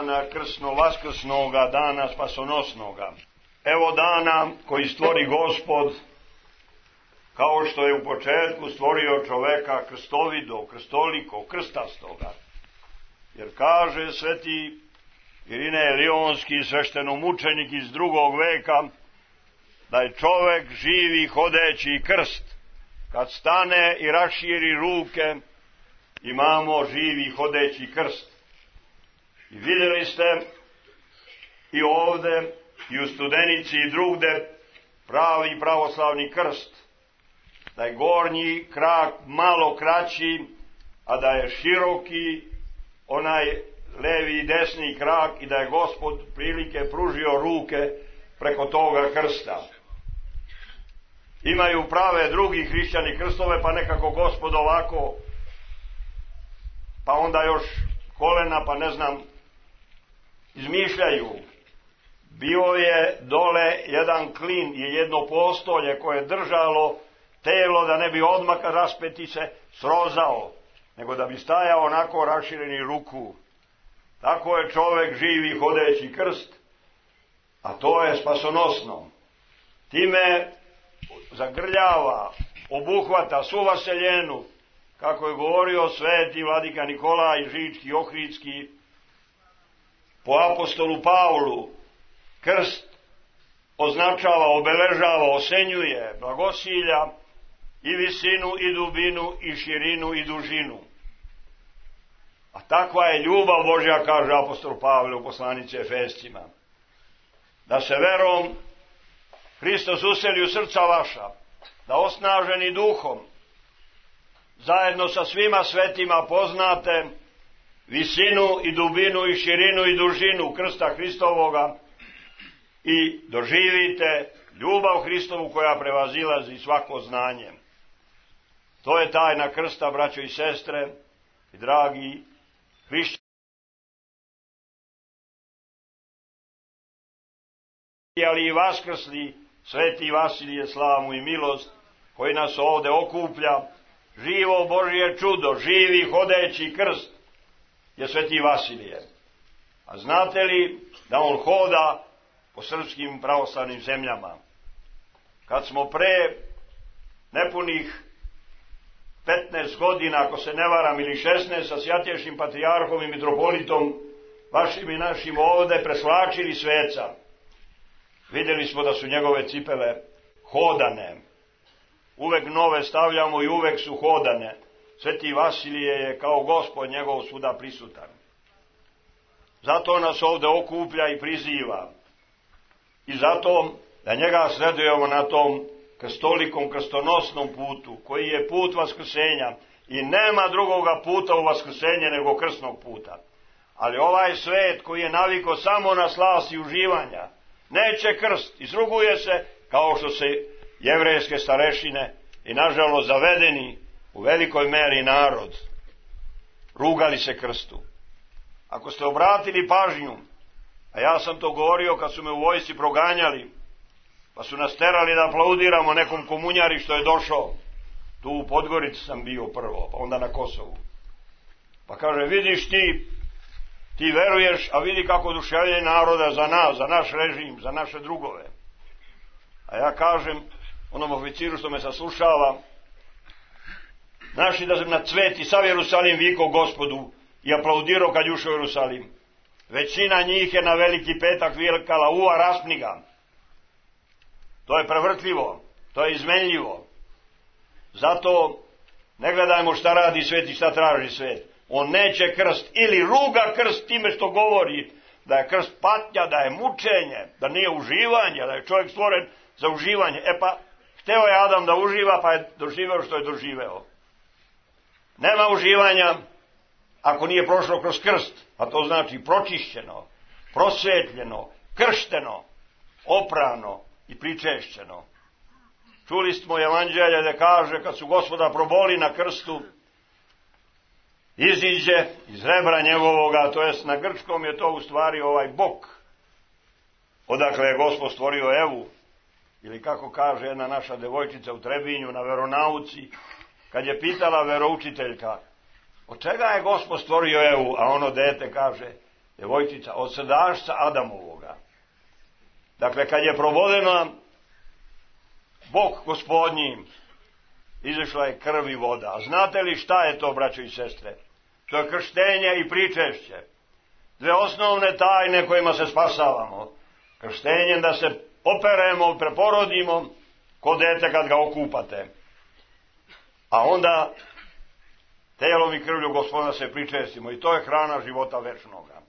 dana krsno-vaskrsnoga, dana spasonosnoga. Evo dana koji stvori Gospod, kao što je u početku stvorio čoveka krstovido, krstoliko, krstastoga. Jer kaže sveti Irinej Lionski, sveštenomučenik iz 2. veka, da je čovek živi hodeći krst. Kad stane i raširi ruke, imamo živi hodeći krst. I vidjeli ste i ovde, i u Studenici i drugde, pravi pravoslavni krst. Da je gornji krak malo kraći, a da je široki onaj levi i desni krak i da je Gospod prilike pružio ruke preko toga krsta. Imaju prave drugi hrišćani krstove, pa nekako Gospod ovako, pa onda još kolena, pa ne znam, izmišljaju. Bio je dole jedan klin i jedno postolje koje je držalo telo da ne bi odmah raspeti se srozao, nego da bi stajao onako rašireni ruku. Tako je čovek živi hodeći krst, a to je spasonosno. Time zagrljava, obuhvata svu vaseljenu, kako je govorio sveti vladika Nikolaj Žički, Ohridski, po apostolu Pavlu. Krst označava, obeležava, osenjuje, blagosilja i visinu, i dubinu, i širinu, i dužinu. A takva je ljubav Božja, kaže apostol Pavle u poslanici Efescima. Da se verom Hristos useli u srca vaša, da osnaženi duhom, zajedno sa svima svetima poznate visinu i dubinu i širinu i dužinu krsta Hristovoga i doživite ljubav Hristovu koja prevazilazi svako znanje. To je tajna krsta, braćo i sestre i dragi hrišćani. Ali i vaskrsli sveti Vasilije, slavu i milost koji nas ovde okuplja, živo Božje čudo, živi hodeći krst je sveti Vasilije. A znate li da on hoda po srpskim pravoslavnim zemljama? Kad smo pre nepunih 15 godina, ako se ne varam, ili 16, sa Svjatejšim patrijarhom i mitropolitom vašim i našim ovde presvlačili sveca, vidjeli smo da su njegove cipele hodane. Uvek nove stavljamo i uvek su hodane. Sveti Vasilije je kao Gospod njegov svuda prisutan. Zato nas ovde okuplja i priziva. I zato da njega sledujemo na tom krstolikom, krstonosnom putu, koji je put vaskrsenja. I nema drugoga puta u vaskrsenje nego krstnog puta. Ali ovaj svet koji je naviko samo na slast i uživanja, neće krst, izruguje se, kao što se jevrejske starešine i nažalost zavedeni u velikoj meri narod rugali se krstu. Ako ste obratili pažnju, a ja sam to govorio kad su me u vojsci proganjali, pa su nas terali da aplaudiramo nekom komunjari što je došao, tu u Podgorici sam bio prvo, pa onda na Kosovu, pa kaže, vidiš ti veruješ, a vidi kako oduševljenje naroda za nas, za naš režim, za naše drugove. A ja kažem onom oficiru što me saslušava, znaš li da sam na cvet i sav Jerusalim vikao Gospodu i aplaudirao kad ušao u Jerusalim. Većina njih je na Veliki petak vikala uva raspniga. To je prevrtljivo, to je izmenljivo. Zato ne gledajmo šta radi svet i šta traži svet. On neće krst ili ruga krst time što govori da je krst patnja, da je mučenje, da nije uživanje, da je čovjek stvoren za uživanje. E pa, hteo je Adam da uživa, pa je doživeo što je doživeo. Nema uživanja ako nije prošlo kroz krst, a to znači pročišćeno, prosvetljeno, kršteno, oprano i pričešćeno. Čuli smo evanđelje da kaže kad su Gospoda proboli na krstu, iziđe iz rebra njegovoga, to jest na grčkom je to u stvari ovaj bok, odakle je Gospod stvorio Evu, ili kako kaže jedna naša devojčica u Trebinju na veronauci, kad je pitala veroučiteljka, od čega je Gospod stvorio Evu, a ono dete kaže, djevojčica, od srdašca Adamovoga. Dakle, kad je provodena Bog Gospodnjim, izašla je krv i voda. A znate li šta je to, braćo i sestre? To je krštenje i pričešće. Dve osnovne tajne kojima se spasavamo. Krštenjem da se operemo, preporodimo, ko dete kad ga okupate. A onda telom i krvlju Gospodina se pričestimo. I to je hrana života večnoga.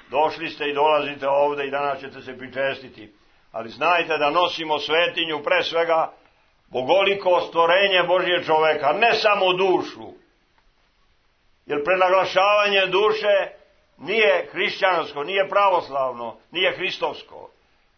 Došli ste i dolazite ovde i danas ćete se pričestiti. Ali znajte da nosimo svetinju, pre svega bogoliko stvorenje Božje čoveka, ne samo dušu. Jer prenaglašavanje duše nije hrišćansko, nije pravoslavno, nije hristovsko.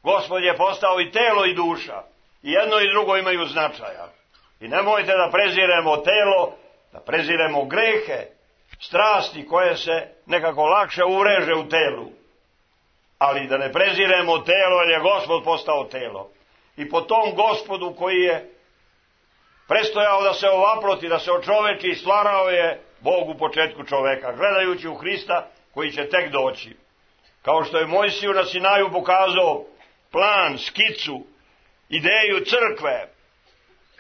Gospod je postao i telo i duša. I jedno i drugo imaju značaja. I nemojte da preziremo telo, da preziremo grehe, strasti koje se nekako lakše ureže u telu. Ali da ne preziremo telo, jer je Gospod postao telo. I po tom Gospodu koji je prestojao da se ovaproti, da se očoveči, stvarao je Bog u početku čoveka, gledajući u Hrista koji će tek doći. Kao što je Mojsiju na Sinaju pokazao plan, skicu, ideju crkve,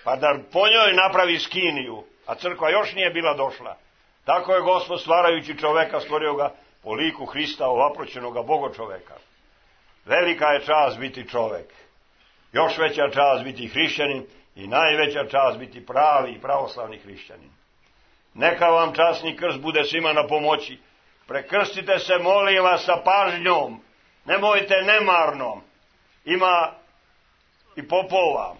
pa da po njoj napravi skiniju, a crkva još nije bila došla. Tako je Gospod stvarajući čoveka stvorio ga po liku Hrista, ovaproćenoga Bogočoveka. Velika je čast biti čovek. Još veća čast biti hrišćanin i najveća čast biti pravi i pravoslavni hrišćanin. Neka vam časni krst bude svima na pomoći. Prekrstite se, molim vas, sa pažnjom. Nemojte nemarno. Ima i popova,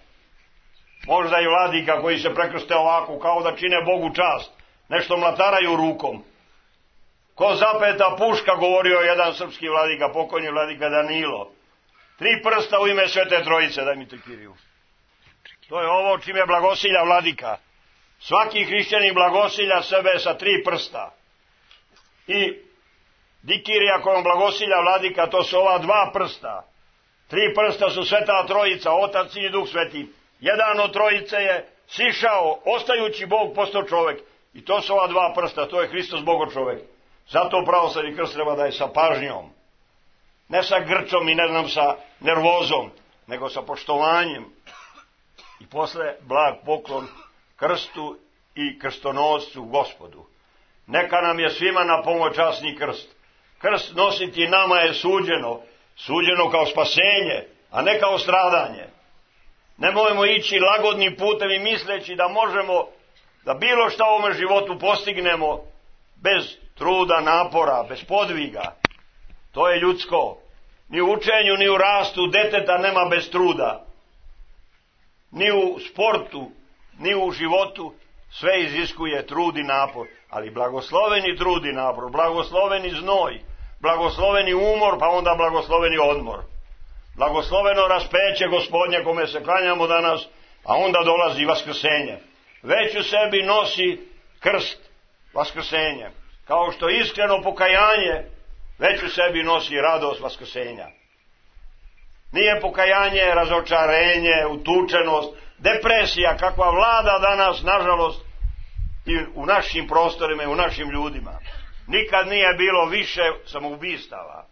možda i vladika koji se prekrste ovako, kao da čine Bogu čast. Nešto mlataraju rukom. Ko zapeta puška, govorio jedan srpski vladika, pokojni vladika Danilo. 3 prsta u ime Svete Trojice, daj mi te Kiriju. To je ovo čime blagosilja vladika. Svaki hrišćanin blagosilja sebe sa 3 prsta. I dikirija kojom blagosilja vladika, to su ova 2 prsta. 3 prsta su Sveta Trojica, Otac, Sin i Duh Sveti. Jedan od trojice je sišao, ostajući Bog postao čovek. I to su ova 2 prsta, to je Hristos Bogo čovek. Zato pravoslavni krst treba da je sa pažnjom. Ne sa grčom i ne znam sa nervozom, nego sa poštovanjem. I posle blag poklon krstu i krstonoscu Gospodu. Neka nam je svima na pomoć časni krst. Krst nositi nama je suđeno kao spasenje, a ne kao stradanje. Nemojmo ići lagodnim putem i misleći da možemo da bilo šta u ovome životu postignemo bez truda, napora, bez podviga. To je ljudsko. Ni u učenju, ni u rastu deteta nema bez truda. Ni u sportu, ni u životu sve iziskuje trud i napor. Ali blagosloveni trud i napor, blagosloveni znoj, blagosloveni umor, pa onda blagosloveni odmor. Blagosloveno raspeće Gospodnje kome se klanjamo danas, a onda dolazi vaskrsenje. Već u sebi nosi krst, vaskrsenje. Kao što iskreno pokajanje već u sebi nosi radost vaskrsenja. Nije pokajanje razočarenje, utučenost, depresija kakva vlada danas, nažalost, i u našim prostorima i u našim ljudima. Nikad nije bilo više samoubistava.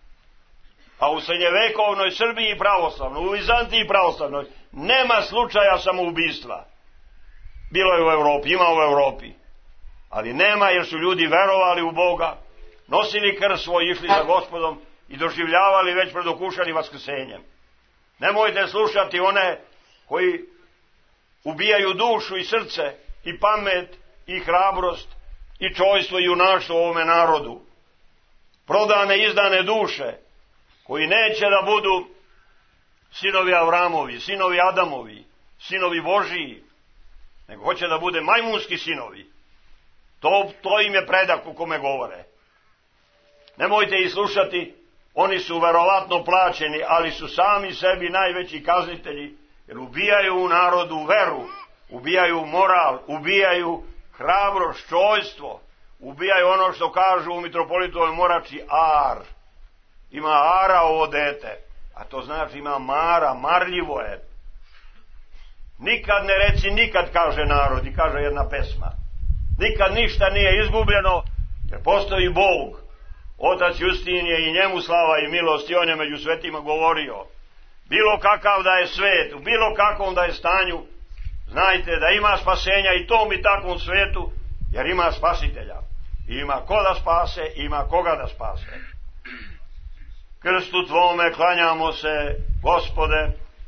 A u srednjevekovnoj Srbiji pravoslavnoj, u Vizantiji pravoslavnoj, nema slučaja samoubistva. Bilo je u Evropi, ima u Evropi. Ali nema, jer su ljudi verovali u Boga, nosili krst svoj, išli za Gospodom i doživljavali već predokušani vaskrsenjem. Nemojte slušati one koji ubijaju dušu i srce i pamet i hrabrost i čojstvo i junaštvo u ovome narodu. Prodane, izdane duše, koji neće da budu sinovi Avramovi, sinovi Adamovi, sinovi Božiji, nego hoće da bude majmunski sinovi. To im je predak u kome govore. Nemojte ih slušati, oni su verovatno plaćeni, ali su sami sebi najveći kaznitelji, jer ubijaju u narodu veru, ubijaju moral, ubijaju hrabrost, čojstvo, ubijaju ono što kažu u mitropolitovoj morači ar. Ima ara ovo dete, a to znači ima mara, marljivo je. Nikad ne reci nikad, kaže narod i kaže jedna pesma. Nikad ništa nije izgubljeno, jer postoji Bog. Otac Justinije i njemu slava i milost, i on je među svetima govorio, bilo kakav da je svet, u bilo kakvom da je stanju, znajte da ima spasenja i tom i takvom svetu, jer ima spasitelja. I ima ko da spase, ima koga da spase. Krstu tvome klanjamo se, Gospode,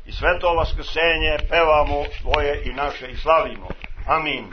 i sveto vaskrsenje pevamo tvoje i naše i slavimo. Amin.